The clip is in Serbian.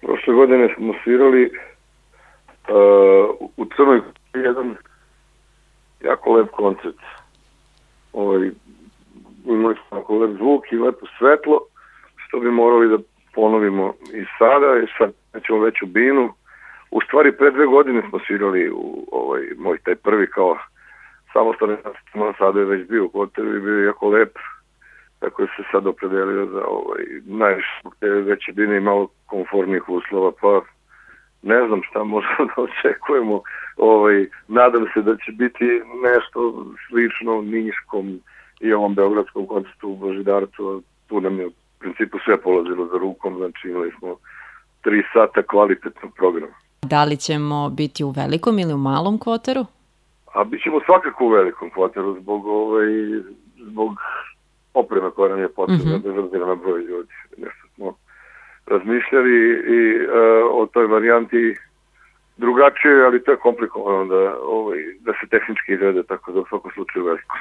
Prošle godine smo svirali u Crnoj Gori jedan jako lep koncert. Imali smo jako lep zvuk i lepo svetlo, što bi morali da ponovimo i sada, i sad nećemo veću binu. U stvari, pre 2 godine smo svirali u moj taj prvi kao samostalni nastup, sada je već bio u Koteru i bio je jako lep, tako je se sad opredelio za najviše te veće bine i malo konformnih uslova, pa ne znam šta možemo da očekujemo. Nadam se da će biti nešto slično Niškom i ovom beogradskom koncertu u Božidarcu. Tu nam je u principu sve polazilo za rukom, znači imali smo 3 sata kvalitetnog programa. Da li ćemo biti u velikom ili u malom Kvoteru? A bit ćemo svakako u velikom Kvoteru zbog opreme koja nam je potrebna, bez obzira na broj ljudi. Nešto smo razmišljali i o toj varijanti drugačije, ali to je komplikovano da se tehnički izvede, tako da u svakom slučaju veliko.